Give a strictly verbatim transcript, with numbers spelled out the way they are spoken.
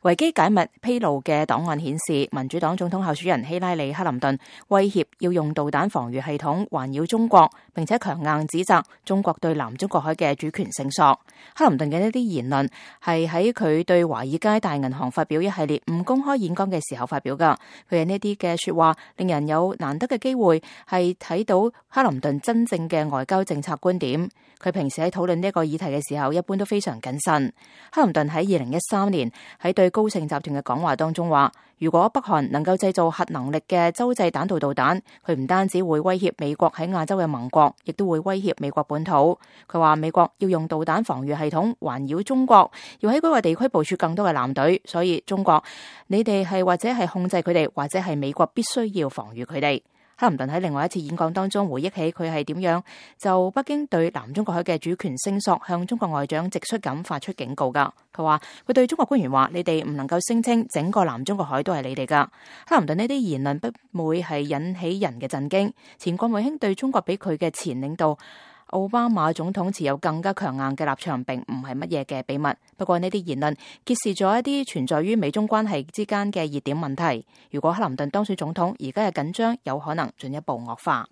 維基解密披露嘅檔案顯示，民主黨總統候選人希拉里·克林頓威脅要用導彈防禦系統環繞中國，並且強硬指責中國對南中國海嘅主權聲索。克林頓嘅呢啲言論係喺佢對華爾街大銀行發表一系列唔公開演講嘅時候發表噶。佢嘅呢啲嘅說話令人有難得嘅機會係睇到克林頓真正嘅外交政策觀點。佢平時喺討論呢個議題嘅時候，一般都非常謹慎。克林頓喺二零一三年喺對高盛集團嘅講話當中話，如果北韓能夠製造核能力嘅洲際彈道導彈，佢唔單止會威脅美國喺亞洲嘅盟國，亦都會威脅美國本土。佢話美國要用導彈防禦系統環繞中國，要喺嗰個地區部署更多嘅艦隊，所以中國你哋係或者係控制佢哋，或者係美國必須要防禦佢哋。克林頓喺另外一次演講當中回憶起佢係點樣就北京對南中國海嘅主權聲索向中國外長直率咁發出警告噶。佢話佢對中國官員話：你哋唔能夠聲稱整個南中國海都係你哋噶。克林頓呢啲言論不會係引起人嘅震驚。前國務卿對中國比佢嘅前領導奧巴馬總統持有更加強硬嘅立場，並唔係乜嘢嘅秘密。不過呢啲言論揭示咗一啲存在於美中關係之間嘅熱點問題。如果克林頓當選總統，而家嘅緊張有可能進一步惡化。